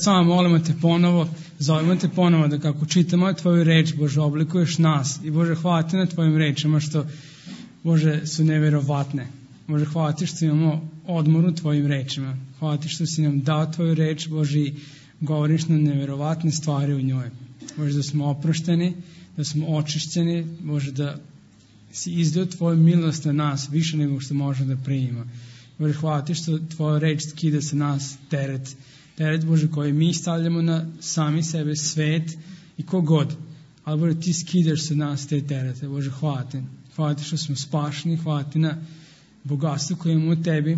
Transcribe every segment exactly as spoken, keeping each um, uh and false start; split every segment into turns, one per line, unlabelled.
samo molimo te ponovo, zovemo te ponovo da kako čitamo tvoju reč, Bože, oblikuješ nas. I Bože, hvala ti na tvojim rečima što, Bože, su neverovatne. Bože, hvala ti što imamo odmor u tvojim rečima. Hvala ti što si nam dao tvoju reč, Bože, i govoriš nam neverovatne stvari u njoj. Bože, da smo oprošteni, da smo očišćeni, Bože, da si izdao tvoju milost na nas više nego što možemo da primimo. Bože, hvala ti što tvoja reč skida sa nas teret. Teret, Bože, koji mi stavljamo na sami sebe, svet i kogod. Ali, Bože, ti skidaš sa nas te terete. Bože, hvala ti. Hvala ti što smo spašeni, hvala ti na bogatstvo koje imamo u tebi.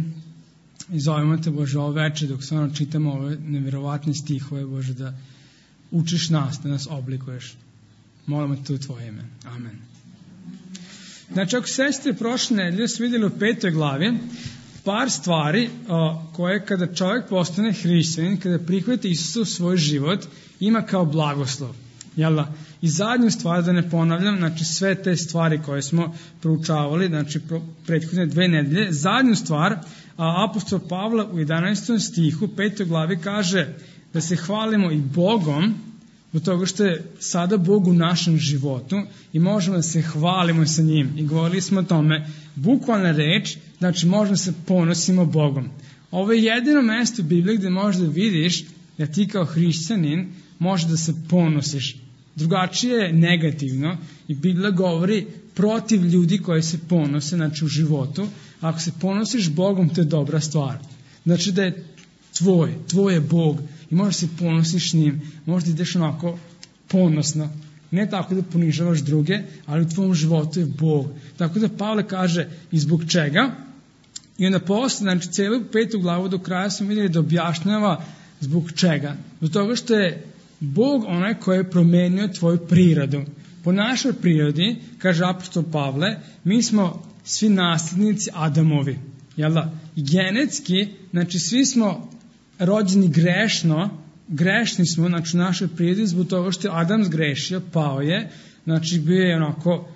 I zovemo te, Bože, ovo večer dok stvarno čitamo ove neverovatne stihove, Bože, da učiš nas, da nas oblikuješ. Molimo te u tvoje ime. Amen. Znači, ako sestre prošle nedelje su vidjeli u petoj glavi par stvari o, koje kada čovjek postane hrišćanin, kada prihvati Isusa u svoj život, ima kao blagoslov. Jel da? I zadnju stvar, da ne ponavljam, znači sve te stvari koje smo proučavali, znači prethodne dve nedelje, zadnju stvar, a apostol Pavle u jedanaestom stihu, petoj glavi kaže da se hvalimo i Bogom, zbog toga što je sada Bog u našem životu i možemo da se hvalimo sa njim. I govorili smo o tome, bukvalna reč, znači možemo da se ponosimo Bogom. Ovo je jedino mesto u Bibliji gde možeš da vidiš da ti kao hrišćanin možeš da se ponosiš. Drugačije je negativno i Biblija govori protiv ljudi koji se ponose, znači u životu. Ako se ponosiš Bogom, to je dobra stvar. Znači da je tvoj, tvoj je Bog i možeš se ponosiš s njim, možeš da ideš onako ponosno. Ne tako da ponižavaš druge, ali u tvom životu je Bog. Tako da Pavle kaže i zbog čega. I onda posle, znači celu petu glavu do kraja smo vidjeli da objašnjava zbog čega. Zbog toga što je Bog onaj koji je promenio tvoju prirodu. Po našoj prirodi, kaže apostol Pavle, mi smo svi nasljednici Adamovi. Jel da? I genetski, znači svi smo rođeni grešno, grešni smo, znači u našoj prirodi, zbog toga što je Adam zgrešio, pao je, znači bio je onako,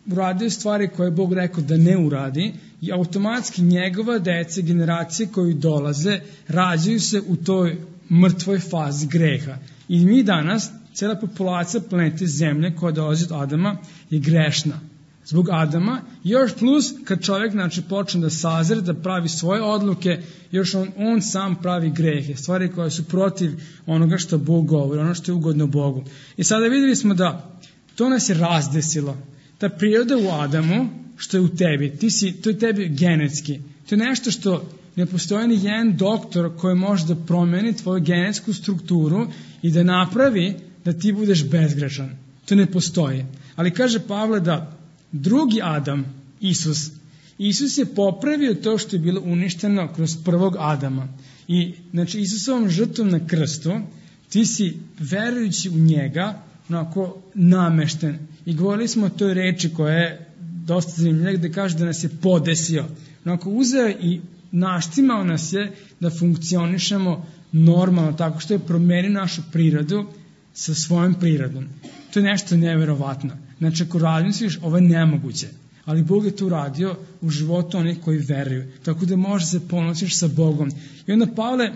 uradio stvari koje je Bog rekao da ne uradi i automatski njegova deca, generacije koji dolaze, rađaju se u toj mrtvoj fazi greha. I mi danas, cijela populacija planete Zemlje koja dolazi od Adama je grešna. Zbog Adama, još plus kad čovjek znači, počne da sazre, da pravi svoje odluke, još on, on sam pravi grehe, stvari koje su protiv onoga što Bog govori, ono što je ugodno Bogu. I sada vidjeli smo da to nas je razdesilo. Ta priroda u Adamu, što je u tebi, ti si, to je tebi genetski. To je nešto što ne postoji ni jedan doktor koji može da promeni tvoju genetsku strukturu i da napravi da ti budeš bezgrešan. To ne postoji. Ali kaže Pavle da drugi Adam, Isus, Isus je popravio to što je bilo uništeno kroz prvog Adama. I znači Isusovom žrtvom na krstu ti si verujući u njega onako namešten. I govorili smo o toj reči koja je dosta zanimljiva gde kaže da nas je podesio. Onako uzeo i naštimao nas je da funkcionišemo normalno tako što je promenio našu prirodu sa svojom prirodom. To je nešto neverovatno. Znači, ako razmisliš, ovo je nemoguće. Ali Bog je to uradio u životu onih koji veruju. Tako da možeš se ponosiš sa Bogom. I onda Pavle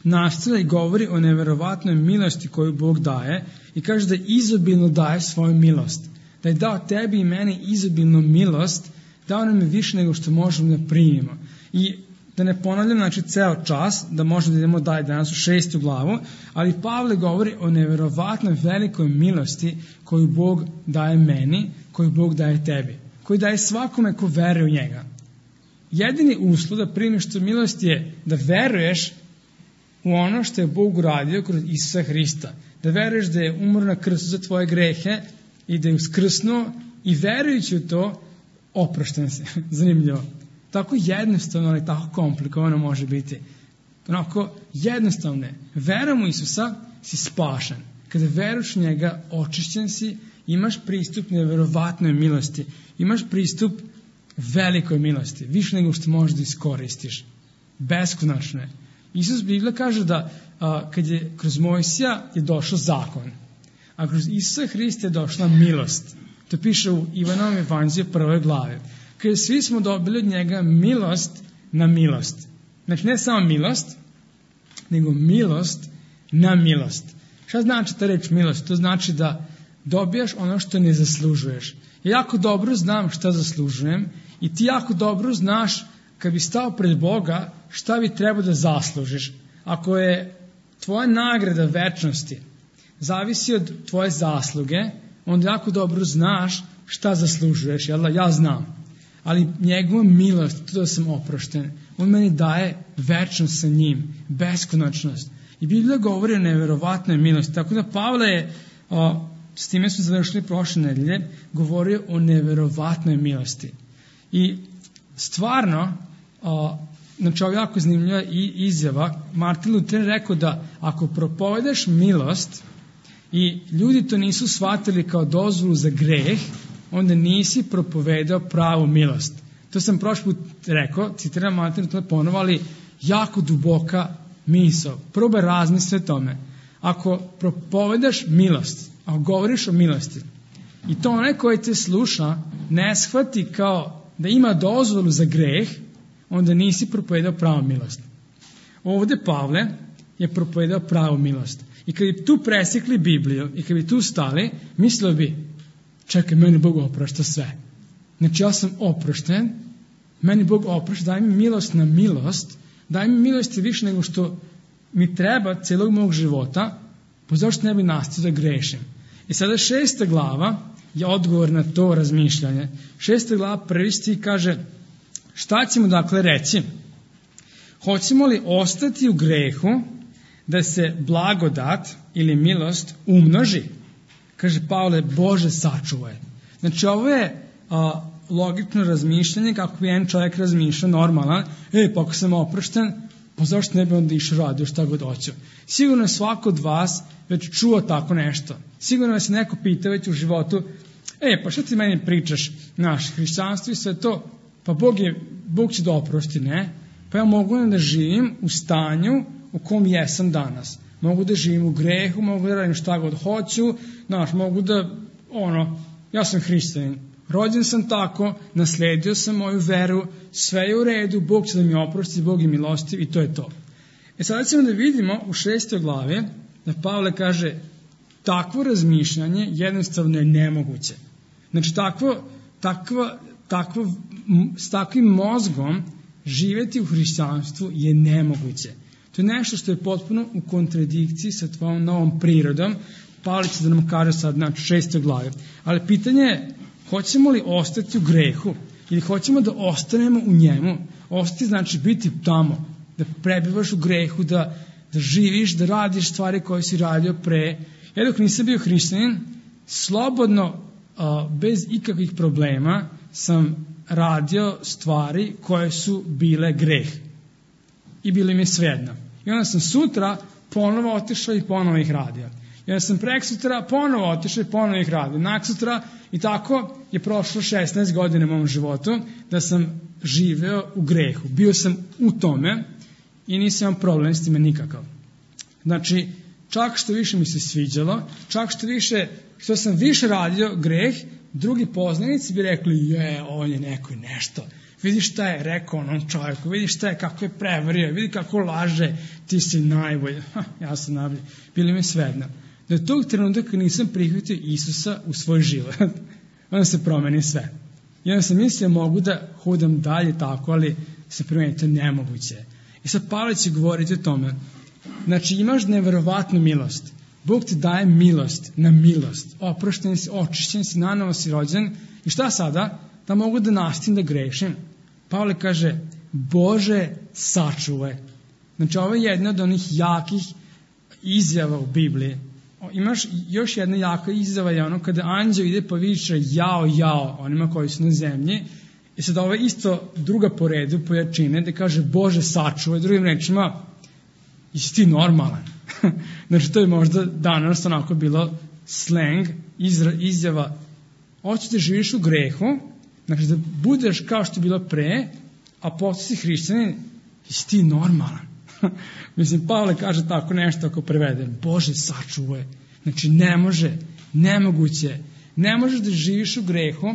nastavlja i govori o neverovatnoj milosti koju Bog daje i kaže da izobilno daje svoju milost. Da je dao tebi i meni izobilnu milost, dao nam je više nego što možemo da primimo. I da ne ponavljam, znači, ceo čas, da možemo da idemo dalje danas u šestu glavu, ali Pavle govori o neverovatnoj velikoj milosti koju Bog daje meni, koju Bog daje tebi, koju daje svakome ko veruje u njega. Jedini uslov da primiš tu milost je da veruješ u ono što je Bog uradio kroz Isusa Hrista. Da veruješ da je umro na krstu za tvoje grehe i da je uskrsnuo i verujući u to oprošten se. Zanimljivo. Tako jednostavno, ali tako komplikovano može biti. Onako jednostavno je. Verom u Isusa si spašen. Kada veruješ u njega, očišćen si, imaš pristup neverovatnoj milosti. Imaš pristup velikoj milosti. Više nego što možeš da iskoristiš. Beskonačno je. Isus Biblija kaže da a, kad je kroz Mojsija je došao zakon, a kroz Isusa Hrista je došla milost. To piše u Ivanovom evanđelju prvoj glavi. Kada svi smo dobili od njega milost na milost. Znači ne samo milost, nego milost na milost. Šta znači ta reč milost? To znači da dobijaš ono što ne zaslužuješ. Ja jako dobro znam šta zaslužujem i ti jako dobro znaš kad bi stao pred Boga šta bi trebao da zaslužiš. Ako je tvoja nagrada večnosti zavisi od tvoje zasluge, onda jako dobro znaš šta zaslužuješ. Jel da? Ja znam. Ali njegova milost, to da sam oprošten, on meni daje večnost sa njim, beskonačnost. I Biblija govori o neverovatnoj milosti. Tako da Pavle je, o, s time smo završili prošle nedelje, govorio o neverovatnoj milosti. I stvarno, o, znači ovo je jako zanimljiva izjava. Martin Luther je rekao da ako propovedeš milost i ljudi to nisu shvatili kao dozvolu za greh, onda nisi propovedao pravu milost. To sam prošli put rekao, citiram Martin Luther ponovo, ali jako duboka misao. Probaj razmisli o tome. Ako propovedaš milost, ako govoriš o milosti, i to onaj koji te sluša ne shvati kao da ima dozvolu za greh, onda nisi propovedao pravu milost. Ovde Pavle je propovedao pravu milost. I kad bi tu presekli Bibliju i kad bi tu stali, mislio bi, čekaj, meni Bog oprašta sve. Znači ja sam oprošten, meni Bog oprašta, daj mi milost na milost, daj mi milosti više nego što mi treba celog mog života, pa zašto ne bi nastavio da grešim. I sada šesta glava je odgovor na to razmišljanje. Šesta glava prvi stih kaže, šta ćemo dakle reći? Hoćemo li ostati u grehu da se blagodat ili milost umnoži? Kaže Pavle, Bože sačuvaj. Znači ovo je a, logično razmišljanje kako bi jedan čovjek razmišljao normalan. E, pa ako sam oprošten, pa zašto ne bi onda išao radio šta god hoću? Sigurno je svako od vas već čuo tako nešto. Sigurno je se neko pita već u životu, e, pa šta ti meni pričaš, naš hrišćanstvo i sve to, pa Bog, je, Bog će da oprosti, ne? Pa ja mogu da živim u stanju u kom jesam danas. Mogu da živim u grehu, mogu da radim šta god hoću, znaš, mogu da, ono, ja sam hrišćanin, rođen sam tako, nasledio sam moju veru, sve je u redu, Bog će da mi oprosti, Bog je milostiv i to je to. E sada ćemo da vidimo u šestoj glavi da Pavle kaže, takvo razmišljanje jednostavno je nemoguće. Znači, takvo, takva, takvo, s takvim mozgom živjeti u hrišćanstvu je nemoguće. To je nešto što je potpuno u kontradikciji sa tvojom novom prirodom. Pavle će da nam kaže sad, znači, šestoj glavi. Ali pitanje je, hoćemo li ostati u grehu ili hoćemo da ostanemo u njemu? Ostati znači biti tamo, da prebivaš u grehu, da, da živiš, da radiš stvari koje si radio pre. Ja dok nisam bio hrišćanin, slobodno, a, bez ikakvih problema, sam radio stvari koje su bile greh. I bili mi svejedno. I onda sam sutra ponovo otišao i ponovo ih radio. I onda sam prek sutra ponovo otišao i ponovo ih radio. Nak sutra i tako je prošlo šesnaest godina u mom životu da sam živeo u grehu. Bio sam u tome i nisam imam problem s time nikakav. Znači, čak što više mi se sviđalo, čak što više, što sam više radio greh, drugi poznanici bi rekli, je, on je neko nešto. Vidi šta je rekao onom čovjeku, vidi šta je, kako je prevario, vidi kako laže, ti si najbolji. Ha, ja sam najbolji. Bili mi svejedno. Do tog trenutka nisam prihvatio Isusa u svoj život. Onda se promeni sve. I onda sam mislio, mogu da hodam dalje tako, ali se promeni, to nemoguće. I sad Pavle će govoriti o tome. Znači, imaš neverovatnu milost. Bog ti daje milost na milost. Oprošten si, očišćen si, nanovo si rođen. I šta sada? Da mogu da nastavim da grešim. Pavle kaže, Bože, sačuvaj. Znači, ovo je jedna od onih jakih izjava u Bibliji. Imaš još jedna jaka izjava, je ono kada anđeo ide pa viče jao, jao onima koji su na zemlji. I sad ovo je isto druga po redu, po jačine, da kaže Bože, sačuvaj. Drugim rečima, jesi ti normalan? Znači, to je možda danas onako bilo slang, izra, izjava, hoćeš da živiš u grehu, znači da budeš kao što je bilo pre, a posle si hrišćanin, jesi ti normalan? Mislim, Pavle kaže tako nešto ako prevedem, Bože, sačuvaj. Znači, ne može, nemoguće, ne možeš da živiš u grehu,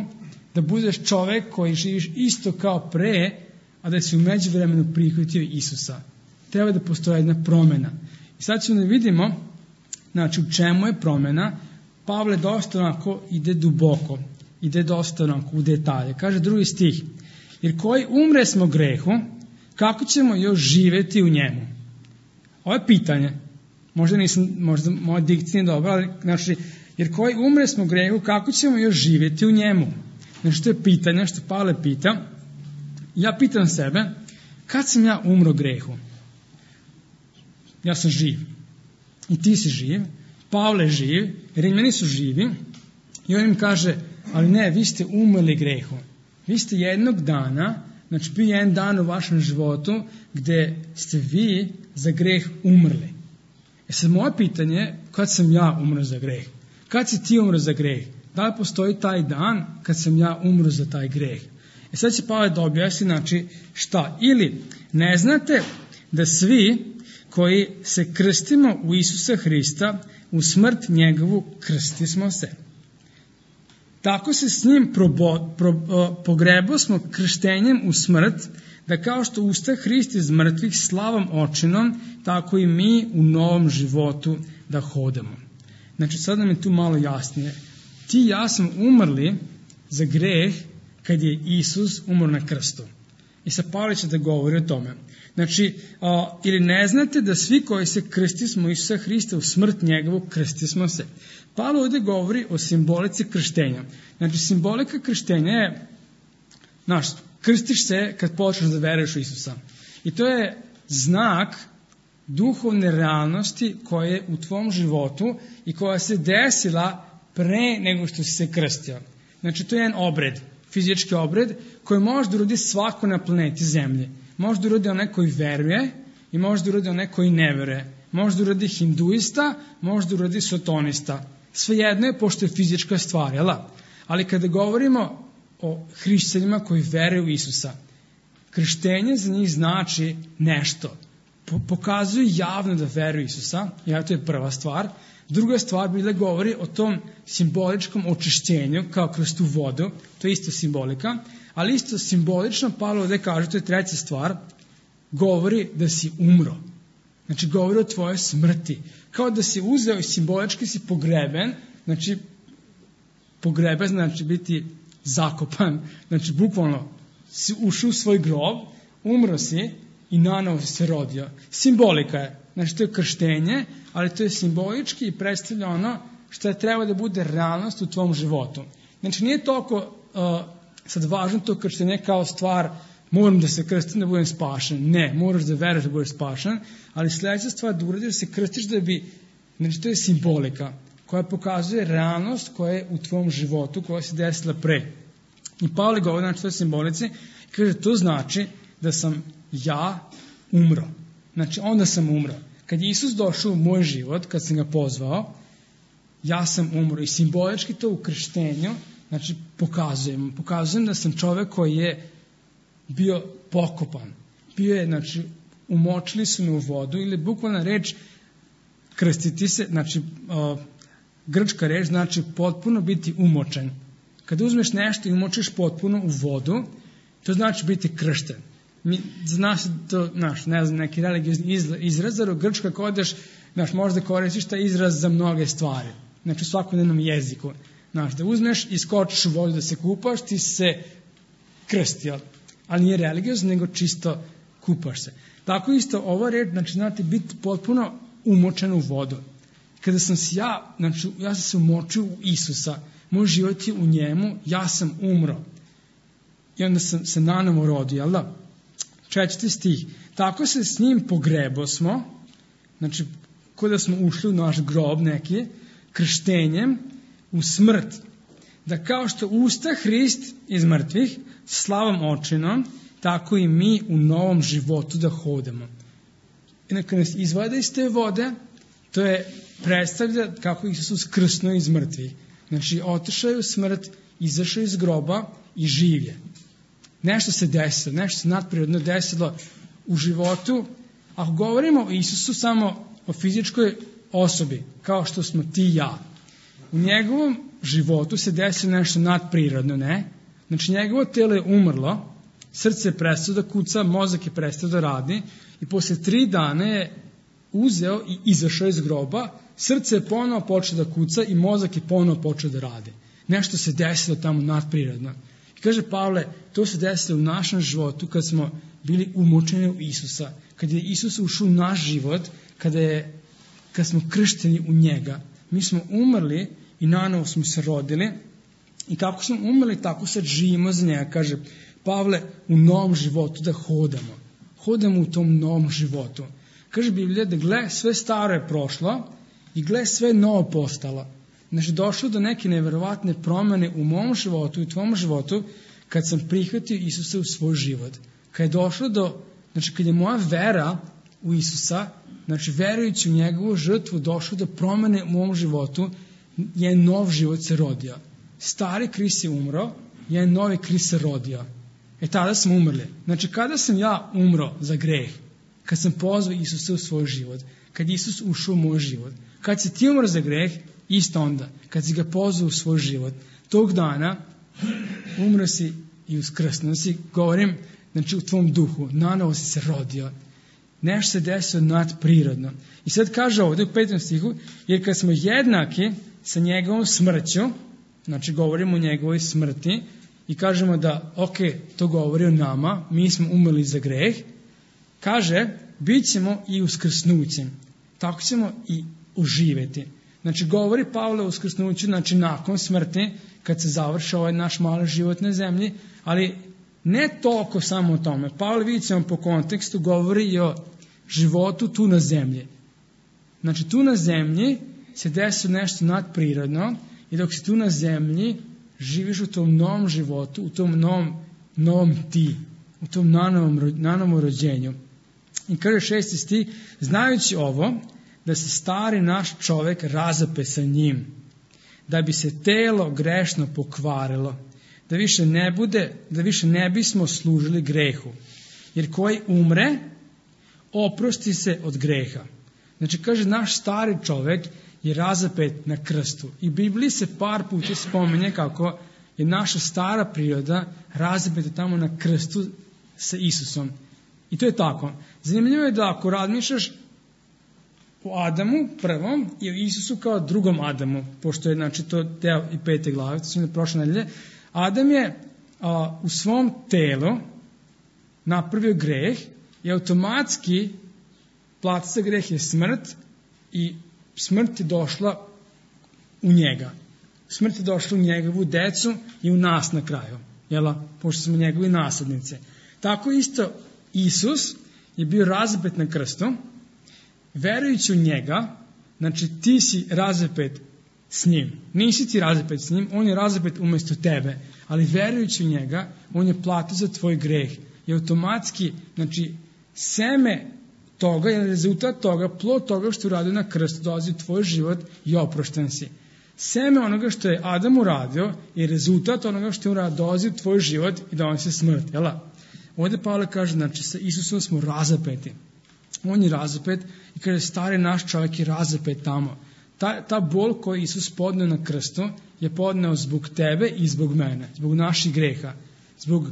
da budeš čovek koji živiš isto kao pre, a da si u međuvremenu prihvatio Isusa. Treba da postoji jedna promena. I sad ćemo da vidimo, znači, u čemu je promena. Pavle dosta onako ide duboko, ide dosta onako u detalje. Kaže drugi stih, jer koji umre smo grehu, kako ćemo još živeti u njemu? Ovo je pitanje. Možda nisam, možda moja dikcija nije dobra, ali znači, jer koji umre smo grehu, kako ćemo još živjeti u njemu? Znači, to je pitanje što Pavle pita. Ja pitam sebe, kad sam ja umro grehu? Ja sam živ. I ti si živ. Pavle je živ. Rimljani su živi. I on im kaže, ali ne, vi ste umrli grehu. Vi ste jednog dana, znači bio jedan dan u vašem životu gde ste vi za greh umrli. E sad moje pitanje je, kad sam ja umro za greh? Kad si ti umro za greh? Da li postoji taj dan kad sam ja umro za taj greh? E sad će Pavle da objasni, znači, šta? Ili ne znate da svi koji se krstimo u Isusa Hrista, u smrt njegovu krsti smo se. Tako se s njim probo, pro, pogrebo smo krštenjem u smrt, da kao što usta Hrist iz mrtvih slavom očinom, tako i mi u novom životu da hodamo. Znači, sad nam je tu malo jasnije. Ti i ja smo umrli za greh kad je Isus umro na krstu. I sad Pavle će da govori o tome. Znači, a, ili ne znate da svi koji se krsti smo Isusa Hrista u smrt njegovu krsti smo se. Pavle ovdje govori o simbolici krštenja. Znači, simbolika krštenja je, znaš, krstiš se kad počneš da veruješ u Isusa. I to je znak duhovne realnosti koja je u tvom životu i koja se desila pre nego što si se krstio. Znači, to je jedan obred, fizički obred, koji može da uradi svako na planeti Zemlje. Može da uradi onaj koji veruje i može da uradi onaj koji ne veruje. Može da uradi hinduista, može da uradi sotonista. Svejedno je, pošto je fizička stvar, jel? Ali kada govorimo o hrišćanima koji veruju u Isusa, krštenje za njih znači nešto. Pokazuju javno da veruju Isusa, ja, to je prva stvar. Druga stvar bi da govori o tom simboličkom očišćenju, kao kroz tu vodu, to je isto simbolika, ali isto simbolično, Pavle ovdje kaže, to je treća stvar, govori da si umro. Znači, govori o tvojoj smrti. Kao da si uzeo i simbolički si pogreben, znači, pogreben znači biti zakopan, znači, bukvalno si ušao u svoj grob, umro si i nanovo si se rodio. Simbolika je. Znači, to je krštenje, ali to je simbolički i predstavlja ono što je treba da bude realnost u tvom životu. Znači, nije toliko uh, sad važno to krštenje kao stvar moram da se krstim da budem spašen. Ne, moraš da veruješ da budeš spašen, ali sljedeća stvar da uradiš da se krstiš da bi, znači, to je simbolika koja pokazuje realnost koja je u tvom životu, koja se desila pre. I Pavle govori, znači, to je simbolici, kaže, to znači da sam ja umro. Znači, onda sam umro. Kad je Isus došao u moj život, kad sam ga pozvao, ja sam umro. I simbolički to u krštenju, znači, pokazujem. Pokazujem da sam čovek koji je bio pokopan. Bio je, znači, umočili su me u vodu, ili bukvalna reč krstiti se, znači, uh, grčka reč znači potpuno biti umočen. Kada uzmeš nešto i umočiš potpuno u vodu, to znači biti kršten. Mi, znaš, to, znaš, ne znam, neki religiozni izraz, jer u grčka kodeš, znaš, možda koristiš taj izraz za mnoge stvari. Znači, u svakodnevnom jeziku. Znaš, da uzmeš i skočiš u vodu da se kupaš, ti se krstio. Ali nije religiozno, nego čisto kupaš se. Tako isto, ova reč, znači, znate, biti potpuno umočen u vodu. Kada sam se ja, znači, ja sam se umočio u Isusa, moj život je u njemu, ja sam umro. I onda sam se nanovo rodio, jel da? Četvrti stih. Tako se s njim pogrebo smo, znači, kada smo ušli u naš grob neki, krštenjem u smrt. Da kao što usta Hrist iz mrtvih, slavom očinom, tako i mi u novom životu da hodamo. I neka nas izvade iz te vode, to je predstavlja kako Isus krsnuo iz mrtvih. Znači, otišao je u smrt, izašao iz groba i živ je. Nešto se desilo, nešto se nadprirodno desilo u životu. Ako govorimo o Isusu samo o fizičkoj osobi, kao što smo ti i ja, u njegovom životu se desilo nešto nadprirodno, ne? Znači, njegovo telo je umrlo, srce je prestalo da kuca, mozak je prestao da radi i posle tri dana je uzeo i izašao iz groba, srce je ponovo počeo da kuca i mozak je ponovo počeo da radi. Nešto se desilo tamo nadprirodno. I kaže Pavle, to se desilo u našem životu kad smo bili umočeni u Isusa, kad je Isus ušao u naš život, kada je, kad smo kršteni u njega. Mi smo umrli i nanovo smo se rodili i kako smo umrli, tako sad živimo za njega. Kaže Pavle, u novom životu da hodamo. Hodamo u tom novom životu. Kaže Biblija da gle, sve staro je prošlo i gle, sve novo postalo. Znači, došlo do neke neverovatne promjene u mom životu i u tvom životu kad sam prihvatio Isusa u svoj život. Kad je došlo do, znači, kad je moja vera u Isusa, znači, verujući u njegovu žrtvu, došlo do promjene u mom životu, je nov život se rodio. Stari Krist je umro, je novi Krist se rodio. E tada smo umrli. Znači, kada sam ja umro za greh, kad sam pozvao Isusa u svoj život, kad Isus ušao u moj život, kad si ti umro za greh, isto onda, kad si ga pozvao u svoj život, tog dana umro si i uskrsnuo si, govorim, znači u tvom duhu, nanovo si se rodio. Nešto se desilo nadprirodno. I sad kaže ovdje u petom stihu, jer kad smo jednaki sa njegovom smrću, znači govorimo o njegovoj smrti i kažemo da, ok, to govori o nama, mi smo umrli za greh, kaže, bit ćemo i uskrsnućem. Tako ćemo i uživjeti. Znači, govori Pavle o uskrsnuću, znači nakon smrti, kad se završi ovaj naš mali život na zemlji, ali ne toliko samo o tome. Pavle, vidjet ćemo po kontekstu, govori i o životu tu na zemlji. Znači, tu na zemlji se desi nešto nadprirodno i dok si tu na zemlji, živiš u tom novom životu, u tom novom, novom ti, u tom nanovom, nanovom rođenju. I kaže šesti stih, znajući ovo, da se stari naš čovjek razape sa njim, da bi se telo grešno pokvarilo, da više ne bude, da više ne bismo služili grehu. Jer koji umre, oprosti se od greha. Znači, kaže, naš stari čovjek je razapet na krstu. I Bibliji se par puta spominje kako je naša stara priroda razapeta tamo na krstu sa Isusom. I to je tako. Zanimljivo je da ako razmišljaš o Adamu prvom i o Isusu kao drugom Adamu, pošto je, znači, to deo i pete glave, to smo da prošle nedelje, Adam je a, u svom telu napravio greh i automatski plata za greh je smrt i smrt je došla u njega. Smrt je došla u njegovu decu i u nas na kraju, jela, pošto smo njegovi naslednice. Tako isto Isus je bio razapet na krstu, verujući u njega, znači ti si razapet s njim. Nisi ti razapet s njim, on je razapet umjesto tebe, ali verujući u njega, on je platio za tvoj greh. I automatski, znači, seme toga je rezultat toga, plod toga što uradio na krstu, dolazi u tvoj život i oprošten si. Seme onoga što je Adam uradio je rezultat onoga što je uradio, dolazi u tvoj život i donosi smrt. Jela? Ovdje Pavle kaže, znači, sa Isusom smo razapeti. On je razapet i kaže, stari naš čovjek je razapet tamo. Ta, ta bol koju Isus podneo na krstu je podneo zbog tebe i zbog mene, zbog naših greha, zbog,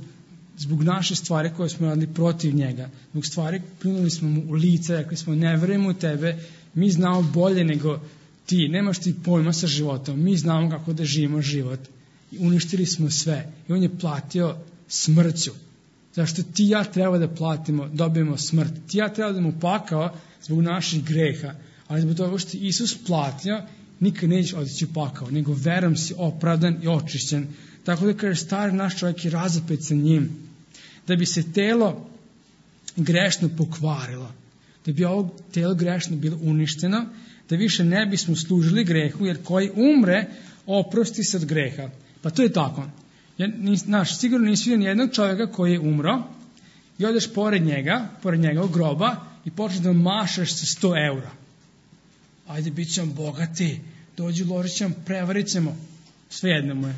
zbog naše stvari koje smo radili protiv njega, zbog stvari pljunuli smo mu u lice, rekli smo ne verujemo u tebe, mi znamo bolje nego ti, nemaš ti pojma sa životom, mi znamo kako da živimo život i uništili smo sve i on je platio smrću. Zašto ti i ja treba da platimo, dobijemo smrt. Ti i ja treba da mu pakao zbog naših greha. Ali zbog toga što Isus platio, nikad nećeš otići u pakao, nego verom si opravdan i očišćen. Tako da kaže, stari naš čovjek je razapet sa njim. Da bi se telo grešno pokvarilo. Da bi ovo telo grešno bilo uništeno, da više ne bismo služili grehu, jer koji umre, oprosti se od greha. Pa to je tako. Ja, nis, naš, sigurno nisi vidio nijednog čovjeka koji je umro i odeš pored njega, pored njegovog groba i počneš da mašaš sa sto eura. Ajde, bit ćemo bogati, dođi, uložit ćemo, prevarit ćemo, svejedno mu je.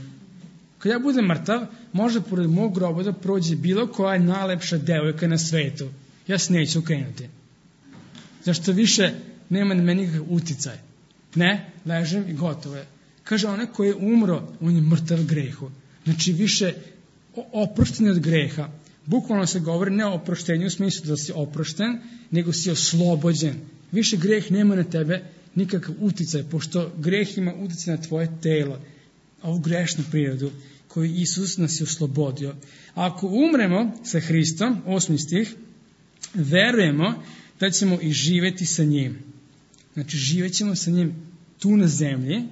Kad ja budem mrtav, može pored mog groba da prođe bilo koja najlepša devojka na svetu. Ja se neću okrenuti. Zašto više nema na meni nikakav uticaj. Ne, ležem i gotovo je. Kaže, onaj koji je umro, on je mrtav grehu. Znači, više oprošten od greha. Bukvalno se govori ne o oproštenju u smislu da si oprošten, nego si oslobođen. Više greh nema na tebe nikakav uticaj, pošto greh ima uticaj na tvoje telo, ovu grešnu prirodu koju Isus nas je oslobodio. Ako umremo sa Hristom, osmi stih, verujemo da ćemo i živjeti sa njim. Znači, živjet ćemo sa njim tu na zemlji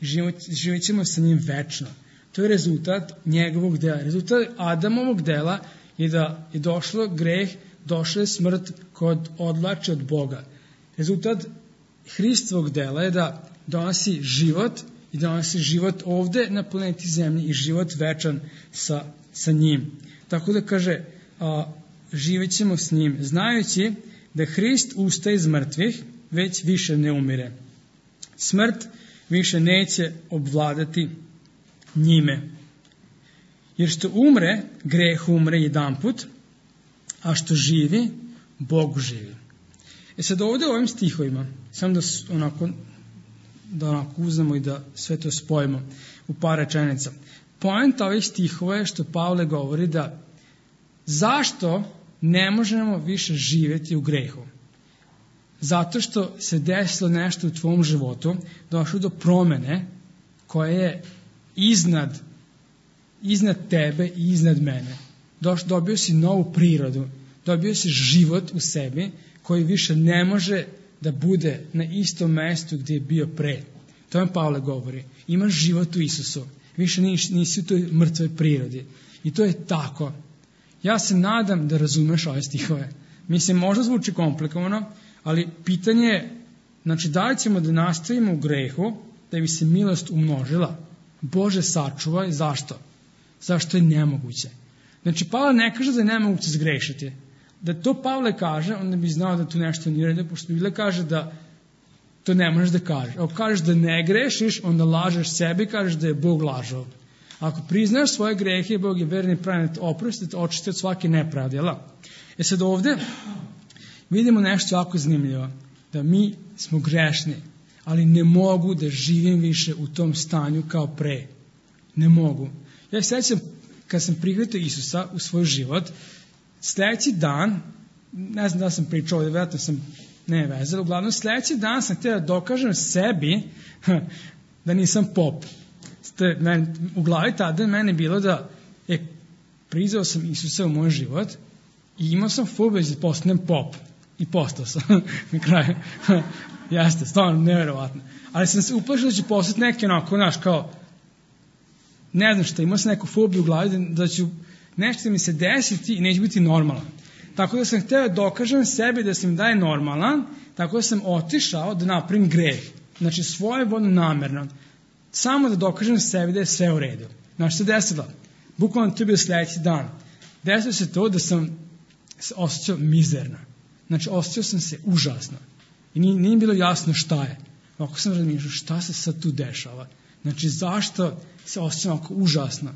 i živjet ćemo sa njim večno. To je rezultat njegovog dela. Rezultat Adamovog dela je da je došlo greh, došla je smrt kod odvlači od Boga. Rezultat Hristovog dela je da donosi život i donosi život ovde na planeti Zemlji i život večan sa, sa njim. Tako da kaže, a, živjet ćemo s njim, znajući da Hrist ustaje iz mrtvih, već više ne umire. Smrt više neće obvladati njime. Jer što umre, greh umre jedanput, a što živi, Bog živi. E sad ovdje u ovim stihovima, samo da onako, da onako uzmemo i da sve to spojimo u par rečenica. Poenta ovih stihova je što Pavle govori da zašto ne možemo više živjeti u grehu? Zato što se desilo nešto u tvom životu, došlo do promene koja je iznad, iznad tebe i iznad mene. Doš, dobio si novu prirodu, dobio si život u sebi koji više ne može da bude na istom mestu gdje je bio pre. To vam Pavle govori. Imaš život u Isusu. Više nisi, nisi u toj mrtvoj prirodi. I to je tako. Ja se nadam da razumeš ove stihove. Mislim, možda zvuči komplikovano, ali pitanje je, znači, da li ćemo da nastavimo u grehu, da bi se milost umnožila? Bože, sačuvaj. Zašto? Zašto je nemoguće? Znači, Pavle ne kaže da je nemoguće zgrešiti. Da to Pavle kaže, onda bi znao da tu nešto nije rede, pošto Biblia kaže da to ne možeš da kažeš. Ako kažeš da ne grešiš, onda lažeš sebi i kažeš da je Bog lažao. Ako priznaš svoje grehe, Bog je verni pravi da te oprosti, da te očisti od svake nepravde. E sad ovdje vidimo nešto jako zanimljivo. Da mi smo grešni, ali ne mogu da živim više u tom stanju kao pre. Ne mogu. Ja se sjećam, kad sam prihvatio Isusa u svoj život, sljedeći dan, ne znam da sam pričao ovdje, vjerojatno sam ne vezao, uglavnom sljedeći dan sam htio da dokažem sebi da nisam pop. U glavi tada meni bilo da e, prizao sam Isusa u moj život i imao sam fobiju da postanem pop. I postao sam na kraju. Jeste, stvarno nevjerovatno. Ali sam se uplašio da ću postati neki onako, naš, kao, ne znam šta, imao sam neku fobiju u glavi da, da ću nešto mi se desiti i neće biti normalan. Tako da sam htio da dokažem sebi da sam daje normalan, tako da sam otišao da napravim greh. Znači svojevoljno namerno. Samo da dokažem sebi da je sve u redu. Znači se desilo. Bukvalno to je bio sljedeći dan. Desilo se to da sam se osjećao mizerno. Znači osjećao sam se užasno. I nije, nije bilo jasno šta je. Ako sam razmišljao šta se sad tu dešava. Znači zašto se osjećam ovako užasno.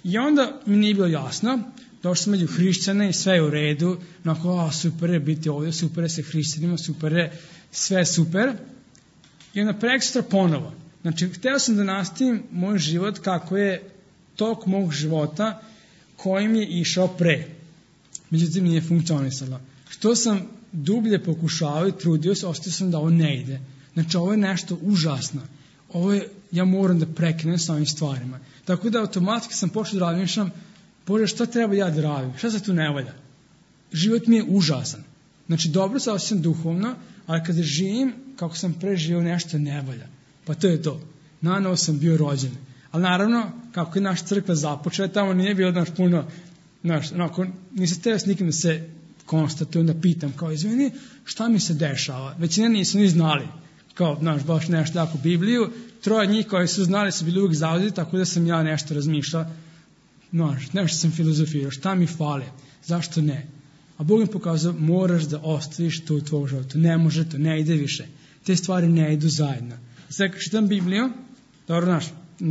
I onda mi nije bilo jasno. Došli smo među hrišćane i sve je u redu. Onako, a, super je biti ovdje, super je se hrišćanima, super je, sve je super. I onda prekstra ponovo. Znači, htio sam da nastavim moj život kako je tok mog života kojim je išao pre. Međutim, nije funkcionisalo. Što sam dublje pokušao i trudio se, ostao sam da ovo ne ide. Znači, ovo je nešto užasno. Ovo je, ja moram da prekinem s ovim stvarima. Tako da automatski sam počeo da razmišljam, Bože, šta treba ja da radim? Šta se tu ne valja? Život mi je užasan. Znači, dobro se osjećam duhovno, ali kada živim, kako sam preživio, nešto ne valja. Pa to je to. Nanovo sam bio rođen. Ali naravno, kako je naša crkva započela, tamo nije bilo naš puno, naš, onako, nisam teo s nikim da se konstatujem, da pitam, kao, izvini, šta mi se dešava? Većina nisu ni znali, kao, znaš, baš nešto jako Bibliju. Troje njih koji su znali su bili uvijek zauzeti, tako da sam ja nešto razmišljao. Znaš, nešto sam filozofirao, šta mi fali, zašto ne? A Bog mi pokazao, moraš da ostaviš to u tvojom životu. Ne može to, ne ide više. Te stvari ne idu zajedno. Sada kad čitam Bibliju, dobro, znaš,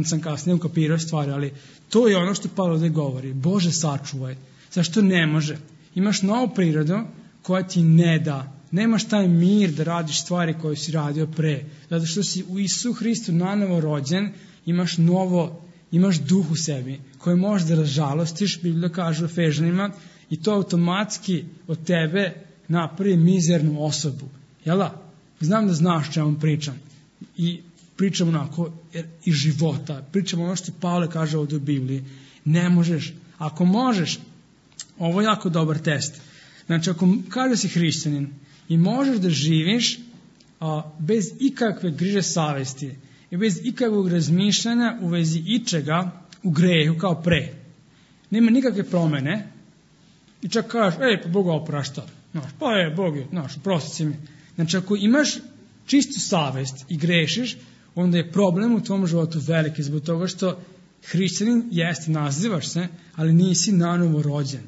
sam kasnije ukapirao stvari, ali to je ono što Pavle ovdje govori. Bože, sačuvaj. Zašto ne može? Imaš novu prirodu koja ti ne da. Nemaš taj mir da radiš stvari koje si radio pre. Zato što si u Isusu Hristu nanovo rođen, imaš novo, imaš duh u sebi koji možeš da razžalostiš, Biblija kaže u Efežanima, i to automatski od tebe napravi mizernu osobu. Jel da? znam da znaš čemu pričam. I pričam onako iz života. Pričam ono što Pavle kaže ovdje u Bibliji. Ne možeš. Ako možeš, ovo je jako dobar test. Znači, ako kaže si hrišćanin i možeš da živiš a, bez ikakve griže savesti i bez ikakvog razmišljanja u vezi ičega u grehu kao pre. Nema nikakve promene i čak kažeš, ej, pa Bog oprašta. Znaš, pa je, Bog je, znaš, oprosti si mi. Znači, ako imaš čistu savest i grešiš, onda je problem u tvom životu veliki zbog toga što hrišćanin jeste, nazivaš se, ali nisi nanovo rođen.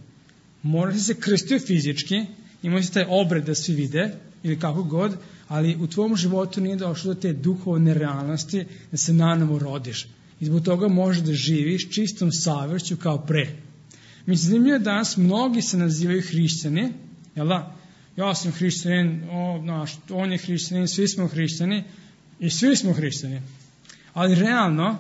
Moraš se krstio fizički, imao si taj obred da svi vide, ili kako god, ali u tvom životu nije došlo do te duhovne realnosti da se nanovo rodiš. I zbog toga možeš da živiš čistom savešću kao pre. Mislim, zanimljivo je danas mnogi se nazivaju hrišćani, jel da? Ja sam hrišćanin, o, naš, on je hrišćanin, svi smo hrišćani i svi smo hrišćani. Ali realno,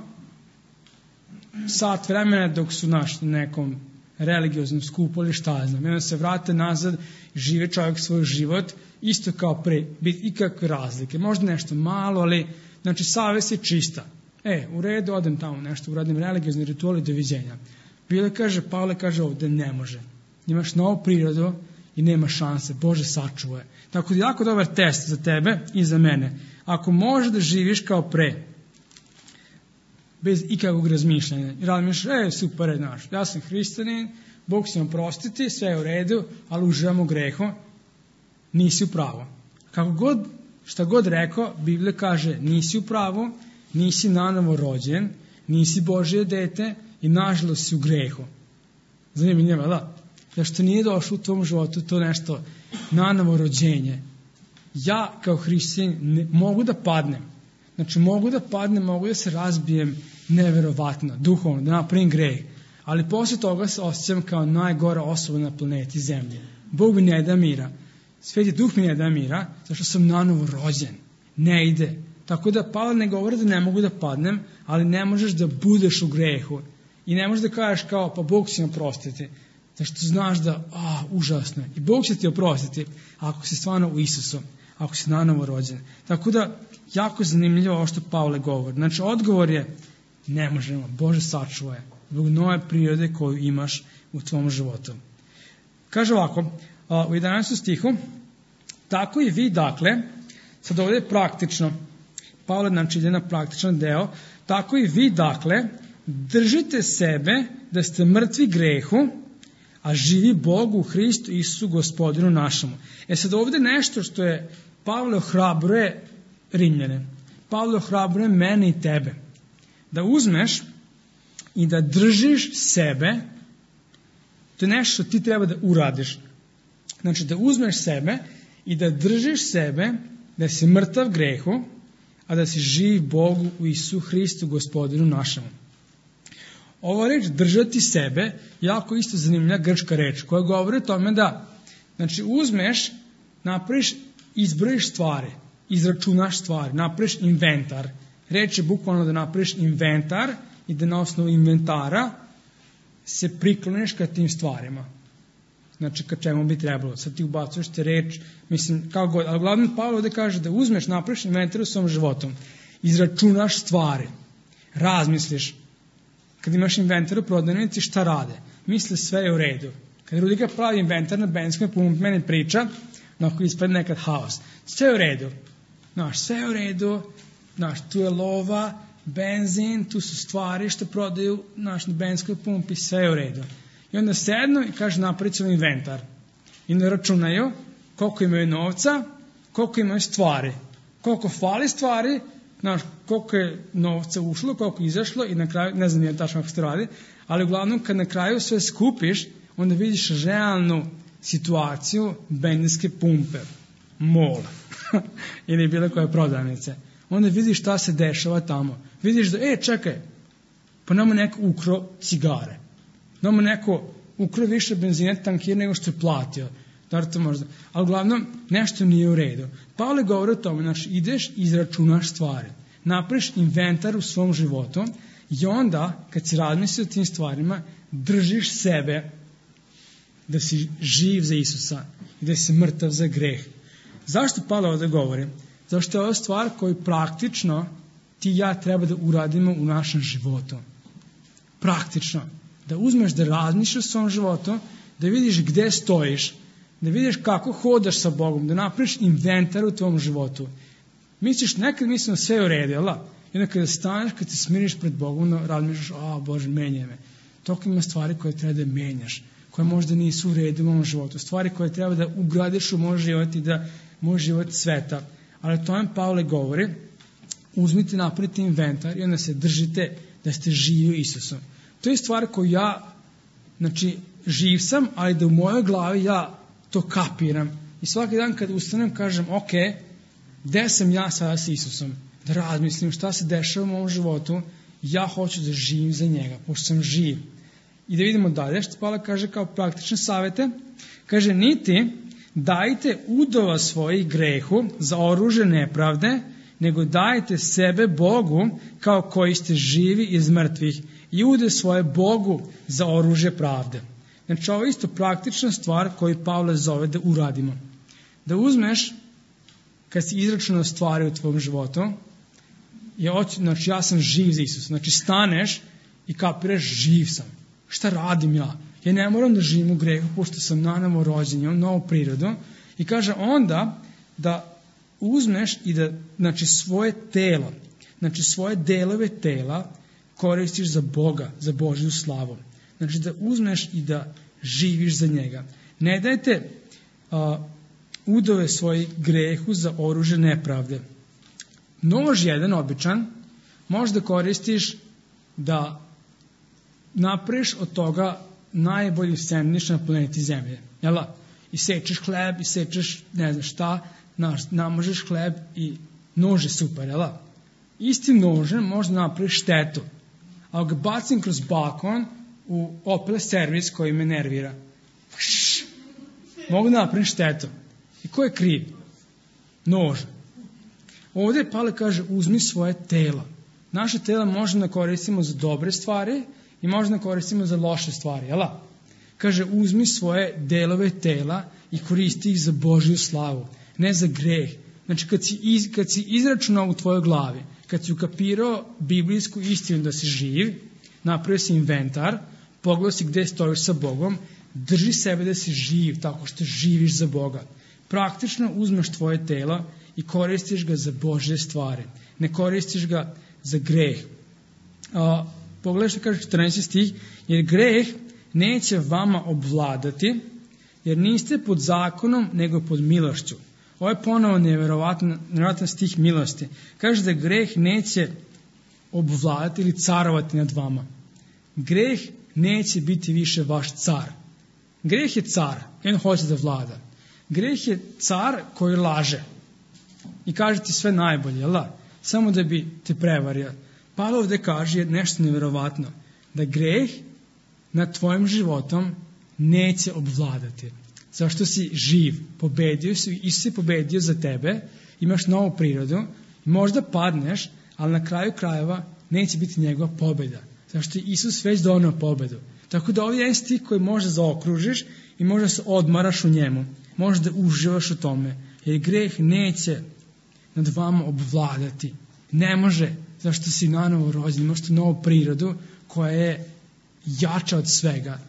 sat vremena dok su naš nekom religioznom skupu ili šta znam, jedan se vrate nazad, žive čovjek svoj život, isto kao pre, biti ikakve razlike. Možda nešto malo, ali znači savest je čista. E, u redu, odem tamo nešto, uradim religiozni ritual i doviđenja. Bile kaže, Pavle kaže ovdje ne može. Imaš novu prirodu i nema šanse. Bože sačuvaj. Tako da je jako dobar test za tebe i za mene. Ako možeš da živiš kao pre, bez ikakvog razmišljanja. I razmišljaš, e, super je naš, ja sam hrišćanin, Bog će nam prostiti, sve je u redu, ali uživamo u grehu, nisi u pravu. Kako god, šta god rekao, Biblija kaže, nisi u pravu, nisi nanovo rođen, nisi Božje dete i nažalost si u grehu. Zanimljivo, da? Zašto nije došlo u tom životu to nešto nanovo rođenje. Ja kao hrišćanin mogu da padnem. Znači mogu da padnem, mogu da se razbijem neverovatno, duhovno, da napravim greh. Ali posle toga se osjećam kao najgora osoba na planeti Zemlje. Bog mi ne da mira. Sveti Duh mi ne da mira, zašto sam nanovo rođen. Ne ide. Tako da Pavle ne govori da ne mogu da padnem, ali ne možeš da budeš u grehu. I ne možeš da kažeš kao, pa Bog će nam oprostiti. Zašto znaš da, a, užasno je. I Bog će ti oprostiti ako si stvarno u Isusu, ako si nanovo rođen. Tako da, jako zanimljivo ovo što Pavle govori. Znači, odgovor je, ne možemo, Bože sačuvaj, zbog nove prirode koju imaš u tvom životu. Kaže ovako, u jedanaestom stihu, tako i vi, dakle, sad ovdje je praktično, Pavle znači ide na praktičan deo, tako i vi, dakle, držite sebe da ste mrtvi grehu, a živi Bogu u Hristu Isusu Gospodinu našemu. E sad ovdje nešto što je Pavle ohrabruje Rimljane. Pavle ohrabruje mene i tebe. Da uzmeš i da držiš sebe, to je nešto što ti treba da uradiš. Znači da uzmeš sebe i da držiš sebe, da si mrtav grehu, a da si živ Bogu u Isusu Hristu Gospodinu našemu. Ova reč držati sebe, jako isto zanimljiva grčka reč, koja govori o tome da, znači uzmeš, napraviš, izbrojiš stvari, izračunaš stvari, napraviš inventar. Reč je bukvalno da napraviš inventar i da na osnovu inventara se prikloniš ka tim stvarima. Znači ka čemu bi trebalo. Sad ti ubacuješ te reč, mislim, kao god, ali glavno Pavle ovdje kaže da uzmeš, napraviš inventar u svom životom, izračunaš stvari, razmisliš. Kad imaš inventar u prodavnici, šta rade? Misle sve je u redu. Kad Rudika pravi inventar na benzinskoj pumpi, meni priča, onako ispred nekad haos. Sve je u redu. Znaš, sve je u redu. Znaš, tu je lova, benzin, tu su stvari što prodaju naš, na benzinskoj pumpi, sve je u redu. I onda sednu i kaže napravit ćemo inventar. I onda računaju koliko imaju novca, koliko imaju stvari. Koliko fali stvari, znaš, koliko je novca ušlo, koliko je izašlo i na kraju, ne znam nije tačno kako se to radi, ali uglavnom kad na kraju sve skupiš, onda vidiš realnu situaciju benzinske pumpe, mol ili bilo koje prodavnice. Onda vidiš šta se dešava tamo. Vidiš da, e, čekaj, pa nama neko ukro cigare. Nama neko ukro više benzine tankira nego što je platio. Da to možda. Ali uglavnom, nešto nije u redu. Pavle govori o tome, znači, ideš i izračunaš stvari. Napraviš inventar u svom životu i onda, kad si razmisli o tim stvarima, držiš sebe da si živ za Isusa i da si mrtav za greh. Zašto Pavle ovdje govori? Zato što je ovo stvar koju praktično ti i ja treba da uradimo u našem životu. Praktično. Da uzmeš da razmišljaš o svom životu, da vidiš gde stojiš, da vidiš kako hodaš sa Bogom, da napraviš inventar u tvom životu. Misliš, nekad mislim sve je u redu, jel? I onda kada staneš, kad se smiriš pred Bogom, razmišljaš, a Bože, menjaj me. Toliko ima stvari koje treba da menjaš, koje možda nisu u redu u mom životu, stvari koje treba da ugradiš u moj život i da moj život sveta. Ali o tome Pavle govori, uzmite, napravite inventar i onda se držite da ste živi Isusom. To je stvar koju ja, znači, živ sam, ali da u mojoj glavi ja to kapiram. I svaki dan kad ustanem kažem, ok, gde sam ja sada s Isusom? Da razmislim šta se dešava u mom životu, ja hoću da živim za njega, pošto sam živ. I da vidimo dalje što Pavle kaže kao praktične savete. Kaže, niti dajte udova svojih grehu za oružje nepravde, nego dajte sebe Bogu kao koji ste živi iz mrtvih i ude svoje Bogu za oružje pravde. Znači, ovo je isto praktična stvar koju Pavle zove da uradimo. Da uzmeš, kad si izračunao stvari u tvom životu, je, znači, ja sam živ za Isusa. Znači, staneš i kapiraš, živ sam. Šta radim ja? Ja ne moram da živim u grehu, pošto sam nanovo rođen, imam novu prirodu. I kaže onda da uzmeš i da, znači, svoje telo, znači svoje delove tela koristiš za Boga, za Božju slavu. Znači da uzmeš i da živiš za njega. Ne dajte a, udove svojih grehu za oružje nepravde. Nož jedan običan možda koristiš da napraviš od toga najbolji sendvič na planeti Zemlje. Jel? I sečeš hleb, i sečeš ne znam šta, namožeš hleb i nož je super. Jel? Istim nožem možda napraviš štetu. Ali ga bacim kroz balkon u Opel servis koji me nervira. Pš, mogu da napravim štetu. I ko je kriv? Nož. Ovdje Pavle kaže, uzmi svoje telo. Naše tela možemo da koristimo za dobre stvari i možemo da koristimo za loše stvari. Jel? Kaže, uzmi svoje delove tela i koristi ih za Božju slavu, ne za greh. Znači, kad si, iz, kad si izračunao u tvojoj glavi, kad si ukapirao biblijsku istinu da si živ, napravio si inventar, pogledao si gde stojiš sa Bogom, drži sebe da si živ, tako što živiš za Boga. Praktično uzmeš tvoje telo i koristiš ga za Božje stvari. Ne koristiš ga za greh. A, pogledaj što kaže četrnaesti stih, jer greh neće vama obvladati, jer niste pod zakonom, nego pod milošću. Ovo je ponovo nevjerovatan, nevjerovatan stih milosti. Kaže da greh neće obvladati ili carovati nad vama. Greh neće biti više vaš car. Greh je car, i on hoće da vlada. Greh je car koji laže i kaže ti sve najbolje, jel da? Samo da bi te prevario. Pavle ovdje kaže nešto nevjerovatno, da greh nad tvojim životom neće obvladati. Zašto si živ, pobedio si, Isus je pobedio za tebe, imaš novu prirodu, možda padneš, ali na kraju krajeva neće biti njegova pobjeda. Zašto je Isus već donio pobjedu. Tako da ovdje je jedan stih koji možda zaokružiš i možda se odmaraš u njemu. Možda uživaš u tome. Jer greh neće nad vama obvladati. Ne može, zašto si nanovo rođen, imaš tu novu prirodu koja je jača od svega.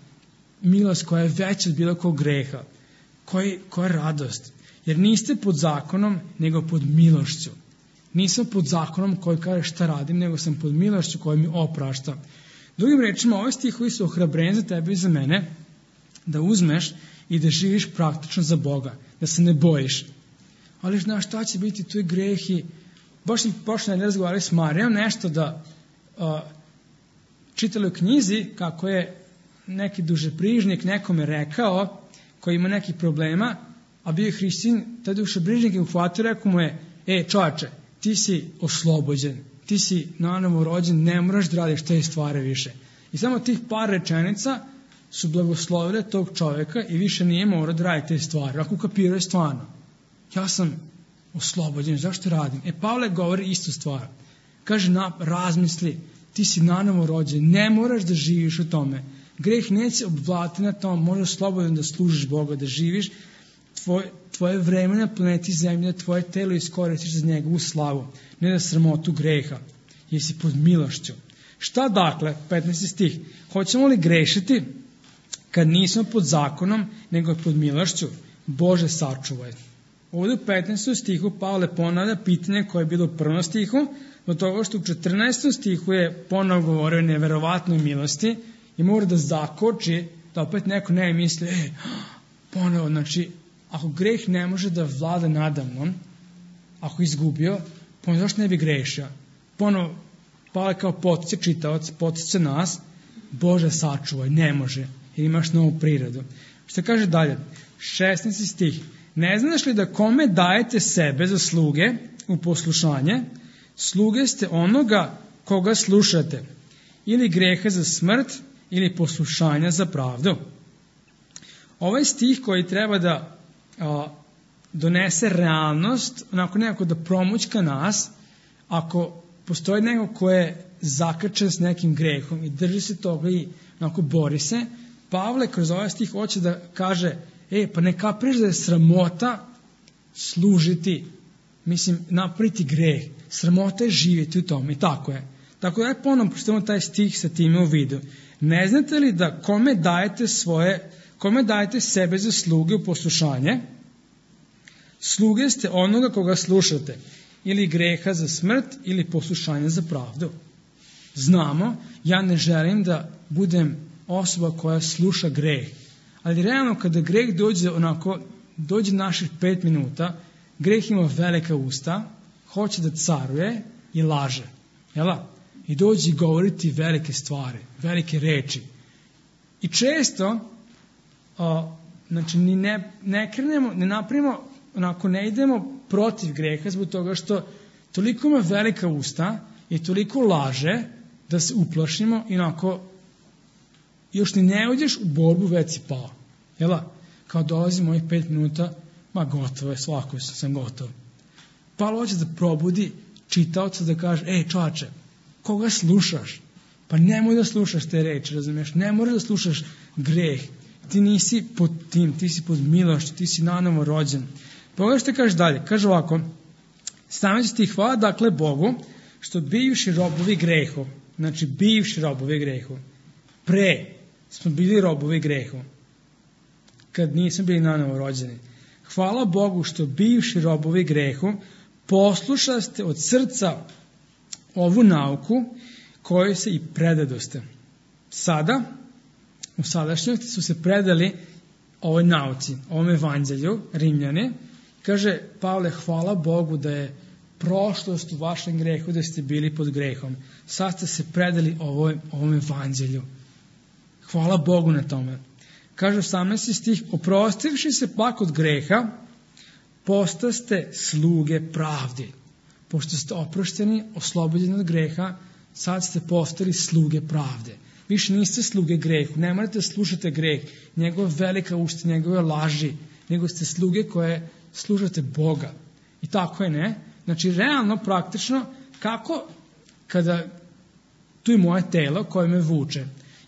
Milost koja je veća od bilo kog greha. Koji, koja je radost. Jer niste pod zakonom, nego pod milošću. Nisam pod zakonom koji kaže šta radim, nego sam pod milošću koja mi oprašta. Drugim rečima, ovaj stihovi su ohrabrenje za tebe i za mene, da uzmeš i da živiš praktično za Boga, da se ne bojiš. Ali znaš šta će biti, tu je greh i baš sam počeo da razgovarali s Marijom nešto da uh, čitali u knjizi kako je neki dušebrižnik nekome rekao koji ima nekih problema, a bio je hrišćanin, taj dušebrižnik je uhvatio, rekao mu je, e čovječe, ti si oslobođen, ti si nanovo rođen, ne moraš da radiš te stvari više. I samo tih par rečenica su blagoslovile tog čovjeka i više nije morao da radi te stvari. Ako ukapirao je stvarno, ja sam oslobođen, zašto radim? E, Pavle govori istu stvar. Kaže, na, razmisli, ti si nanovo rođen, ne moraš da živiš u tome. Greh neće obvladati na tom, možeš slobodno da služiš Boga, da živiš tvoje, tvoje vreme na planeti Zemlje, tvoje telo iskoristiš za njegovu slavu, ne za sramotu greha, jer si pod milošću. Šta dakle, petnaesti stih, hoćemo li grešiti kad nismo pod zakonom, nego pod milošću? Bože, sačuvaj. Ovdje u petnaestom stihu Pavle ponavlja pitanje koje je bilo u prvom stihu, do toga što u četrnaestom stihu je ponovo govorio o neverovatnoj milosti i mora da zakoči, da opet neko ne misli, e, ponovo, znači, ako greh ne može da vlada nadamnom, ako izgubio, ponovo zašto ne bi grešio? Ponovo, Pavle kao potiče čitavac, potiče nas, Bože, sačuvaj, ne može, jer imaš novu prirodu. Što kaže dalje? šesnaesti stih. Ne znaš li da kome dajete sebe za sluge u poslušanje? Sluge ste onoga koga slušate. Ili greha za smrt, ili poslušanja za pravdu. Ovaj stih koji treba da a, donese realnost, onako nekako da promućka nas, ako postoji neko ko je zakačen s nekim grehom i drži se toga i onako bori se, Pavle kroz ovaj stih hoće da kaže, e, pa ne kapiraš da je sramota služiti, mislim, napraviti greh. Sramota je živjeti u tome i tako je. Tako da je ponovno pročitamo taj stih sa time u vidu. Ne znate li da kome dajete svoje, kome dajete sebe za sluge u poslušanje? Sluge ste onoga koga slušate. Ili greha za smrt, ili poslušanja za pravdu. Znamo, ja ne želim da budem osoba koja sluša greh. Ali realno kada greh dođe onako, dođe naših pet minuta, greh ima velika usta, hoće da caruje i laže. Jela? I dođe govoriti velike stvari, velike reči. I često, o, znači, ni ne, ne krenemo, ne napravimo, onako ne idemo protiv greha zbog toga što toliko ima velika usta i toliko laže da se uplašimo i onako još ni ne uđeš u borbu, već si pao. Jela? Kao dolazi mojih pet minuta, ma gotovo je, svako sam gotov. Pavle hoće da probudi čitaoca da kaže, ej čovače, koga slušaš? Pa nemoj da slušaš te reči, razumiješ? Ne moraš da slušaš greh. Ti nisi pod tim, ti si pod milošću, ti si nanovo rođen. Pogledaj što kaže dalje. Kaže ovako, stavljajući ti hvala, dakle, Bogu, što bivši robovi grehu, znači bivši robovi grehu, pre smo bili robovi grehu, kad nismo bili nanovo rođeni. Hvala Bogu što bivši robovi grehu poslušaste od srca ovu nauku kojoj se i predadoste. Sada, u sadašnjosti su se predali ovoj nauci, ovom evanđelju, Rimljani. Kaže Pavle, hvala Bogu da je prošlost u vašem grehu, da ste bili pod grehom. Sad ste se predali ovoj, ovom evanđelju. Hvala Bogu na tome. Kaže osamnaesti stih, oprostivši se pak od greha, postaste sluge pravdi. Pošto ste oprošteni, oslobođeni od greha, sad ste postali sluge pravde. Više niste sluge grehu, ne morate slušati greh, njegove velika usta, njegove laži, nego ste sluge koje slušate Boga. I tako je, ne? Znači, realno, praktično, kako kada tu je moje telo koje me vuče.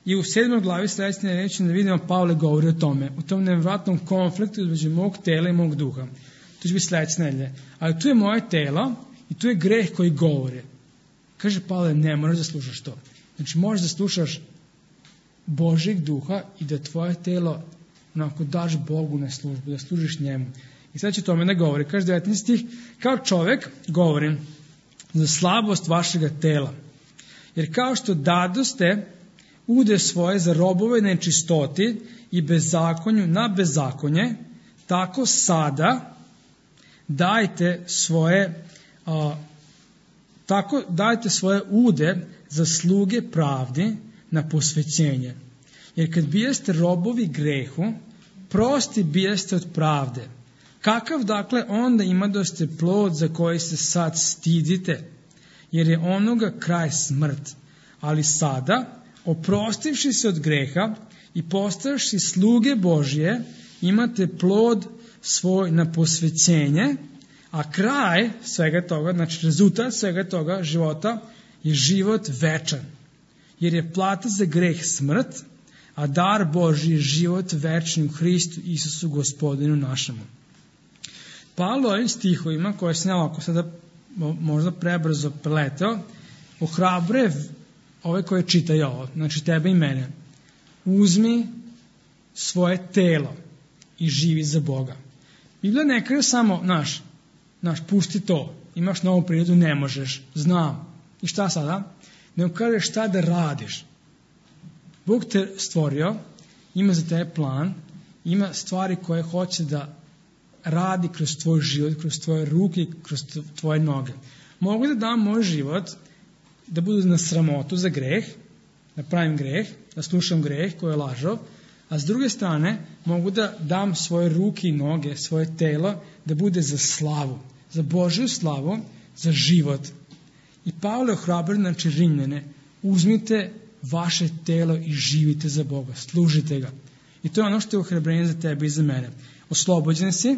I u sedmoj glavi sledeće reči da vidimo Pavle govori o tome, u tom nevratnom konfliktu između mog tela i mog duha. To će biti sledeće nedelje. Ali tu je moje telo i tu je greh koji govori. Kaže Pavle, ne moraš da slušaš to. Znači, možeš da slušaš Božjeg duha i da tvoje telo onako daš Bogu na službu, da služiš njemu. I sad će tome da govori. Kaže devetnaesti stih, kao čovek govorim za slabost vašega tela. Jer kao što dadoste ude svoje za robove nečistoti i bezakonju na bezakonje, tako sada dajte svoje a, tako dajte svoje ude za sluge pravdi na posvećenje. Jer kad bijeste robovi grehu, prosti bijeste od pravde. Kakav dakle onda ima da ste plod za koji se sad stidite, jer je onoga kraj smrt. Ali sada, oprostivši se od greha i postavši sluge Božje, imate plod svoj na posvećenje, a kraj svega toga, znači rezultat svega toga života je život večan. Jer je plata za greh smrt, a dar Božji je život večni u Hristu Isusu Gospodinu našemu. Pavle ovim stihovima, koje se ovako sada možda prebrzo preleteo, ohrabre ove koje čitaju ovo, znači tebe i mene. Uzmi svoje telo i živi za Boga. Biblija ne kaže samo, naš, naš, pusti to, imaš novu prirodu, ne možeš, znam. I šta sada? Nego kaže šta da radiš. Bog te stvorio, ima za tebe plan, ima stvari koje hoće da radi kroz tvoj život, kroz tvoje ruke, kroz tvoje noge. Mogu da dam moj život da budu na sramotu za greh, da pravim greh, da slušam greh koji je lažov, a s druge strane mogu da dam svoje ruke i noge, svoje telo, da bude za slavu, za Božju slavu, za život. I Pavle ohrabri, znači Rimljane, uzmite vaše telo i živite za Boga, služite ga. I to je ono što je ohrabrenje za tebe i za mene. Oslobođen si,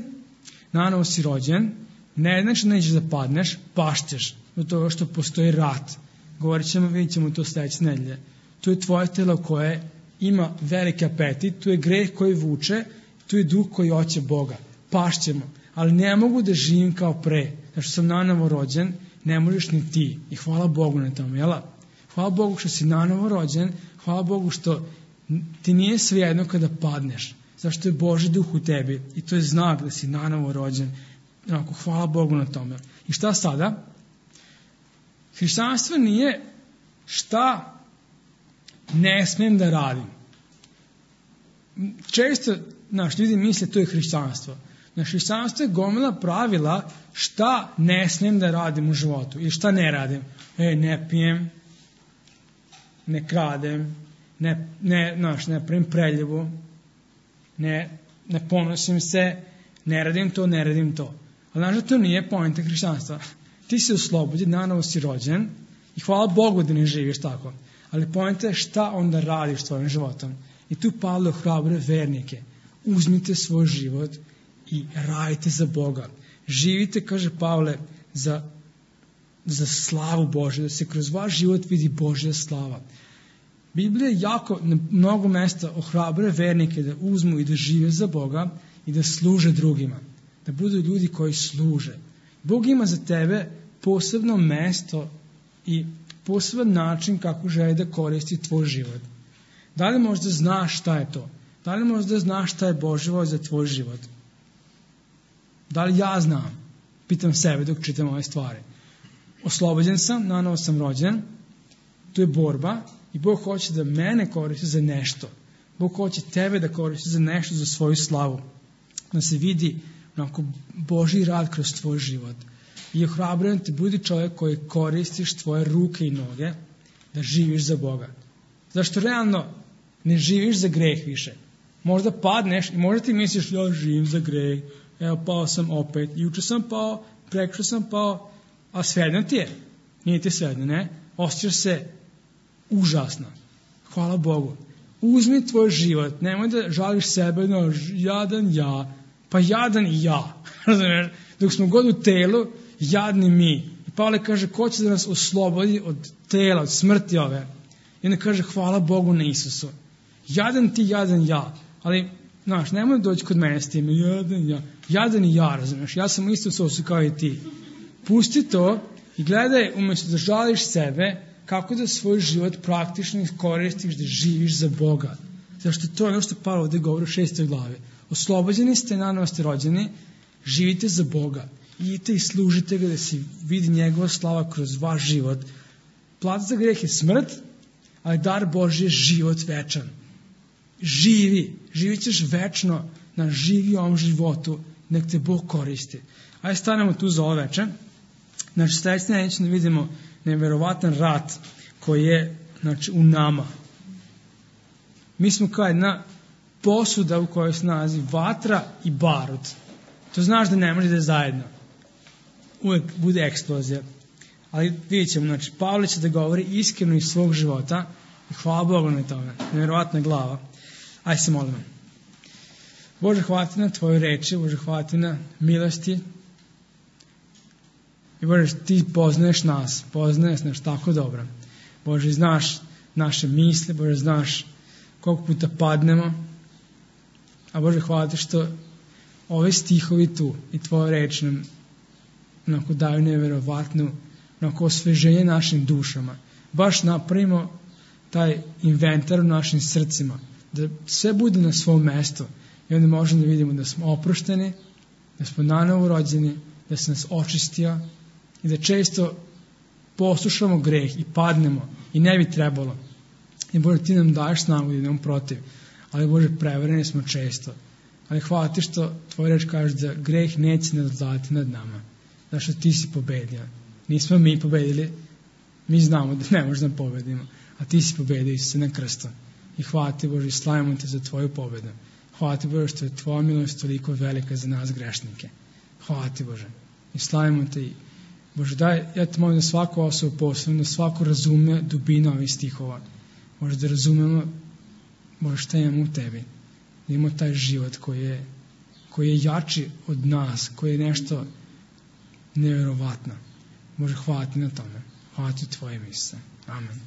nanovo si rođen, ne znači da nećeš da padneš, pašćeš do toga što postoji rat. Govorit ćemo, vidjet ćemo to sljedeće nedelje. Tu je tvoje telo koje ima veliki apetit, tu je greh koji vuče, tu je duh koji hoće Boga. Pašćemo, ali ne mogu da živim kao pre. Znači što sam nanovo rođen, ne možeš ni ti. I hvala Bogu na tom, jela? Hvala Bogu što si nanovo rođen, hvala Bogu što ti nije svejedno kada padneš. Zašto je Božji duh u tebi i to je znak da si nanovo rođen. Onako, hvala Bogu na tome. I šta sada? Hrišćanstvo nije šta ne smijem da radim. Često naš ljudi misle to je hrišćanstvo. Na hrišćanstvo je gomila pravila šta ne smijem da radim u životu ili šta ne radim. E, ne pijem, ne kradem, ne, ne, naš, ne pravim preljevu, ne, ne ponosim se, ne radim to, ne radim to. Ali znaš da to nije poanta hrišćanstva. Ti si oslobođen, nanovo si rođen i hvala Bogu da ne živiš tako. Ali poanta je šta onda radiš svojim životom. I tu Pavle ohrabre vernike. Uzmite svoj život i radite za Boga. Živite, kaže Pavle, za, za slavu Božju, da se kroz vaš život vidi Božja slava. Biblija jako na mnogo mesta ohrabre vernike da uzmu i da žive za Boga i da služe drugima. Da budu ljudi koji služe. Bog ima za tebe posebno mesto i poseban način kako želi da koristi tvoj život. Da li možda znaš šta je to? Da li možda znaš šta je Božja volja za tvoj život? Da li ja znam? Pitam sebe dok čitam ove stvari. Oslobođen sam, nanovo sam rođen, tu je borba i Bog hoće da mene koristi za nešto. Bog hoće tebe da koristi za nešto, za svoju slavu. Da se vidi onako Božji rad kroz tvoj život. I ohrabrujem te, budi čovjek koji koristiš tvoje ruke i noge da živiš za Boga. Zašto realno ne živiš za greh više. Možda padneš i možda ti misliš ja živim za greh, evo pao sam opet, juče sam pao, prekšao sam pao, a svejedno ti je. Nije ti svejedno, ne? Osjećaš se užasno. Hvala Bogu. Uzmi tvoj život, nemoj da žališ sebe, no, jadan ja, pa jadan i ja. Razumiješ? Dok smo god u telu, jadni mi. I Pavle kaže, ko će da nas oslobodi od tela, od smrti ove? I onda kaže, hvala Bogu na Isusu. Jadan ti, jadan ja. Ali, znaš, nemoj doći kod mene s tim, jadan ja. Jadan i ja, razumiješ? Ja sam isto sosu kao i ti. Pusti to i gledaj, umjesto da žališ sebe, kako da svoj život praktično iskoristiš, da živiš za Boga. Zašto to je ono što Pavle ovdje govori u šestoj glavi. Oslobođeni ste, nanovo ste rođeni, živite za Boga. Idite i služite ga da se vidi njegova slava kroz vaš život. Plata za greh je smrt, ali dar Božji je život večan. Živi, živit ćeš večno na živi ovom životu, nek te Bog koristi. Ajde stanemo tu za ovo večer. Znači, sljedeće neće da vidimo neverovatan rat koji je, znači, u nama. Mi smo kao jedna posuda u kojoj se nalazi vatra i barut. To znaš da ne može da je zajedno. Uvijek bude eksplozija. Ali vidjet ćemo, znači, Pavle će da govori iskreno iz svog života i hvala Bogu na tome. Nevjerovatna glava. Ajde se molimo. Bože, hvala ti na tvoje reči, Bože, hvala ti na milosti. I Bože, ti poznaješ nas, poznaješ nas tako dobro. Bože, znaš naše misle, Bože, znaš koliko puta padnemo. A Bože, hvala ti što ove stihovi tu i tvoja reč nam onako daju neverovatnu onako osveženje našim dušama. Baš napravimo taj inventar u našim srcima, da sve bude na svom mestu i onda možemo da vidimo da smo oprošteni, da smo nanovo rođeni, da se nas očistio i da često poslušamo greh i padnemo i ne bi trebalo. I Bože, ti nam daješ snagu da idemo protiv, ali Bože, prevareni smo često. Ali hvala ti što tvoj reč kaže da greh neće nadvladati nad nama. Znaš što ti si pobedio. Nismo mi pobedili, mi znamo da ne možemo da pobedimo, a ti si pobedio Isuse na krstu. I hvala ti Bože, i slavimo te za tvoju pobedu. Hvala ti Bože što je tvoja milost toliko velika za nas grešnike. Hvala ti Bože. I slavimo te i Bože, daj, ja te molim da svaku osobu posebno, da svako razume dubinu ovih stihova. Bože, da razumemo, Bože, šta imamo u tebi. Da imamo taj život koji je, koji je jači od nas, koji je nešto nevjerovatno. Bože, hvala ti na tome. Hvala ti tvoje Isuse. Amen.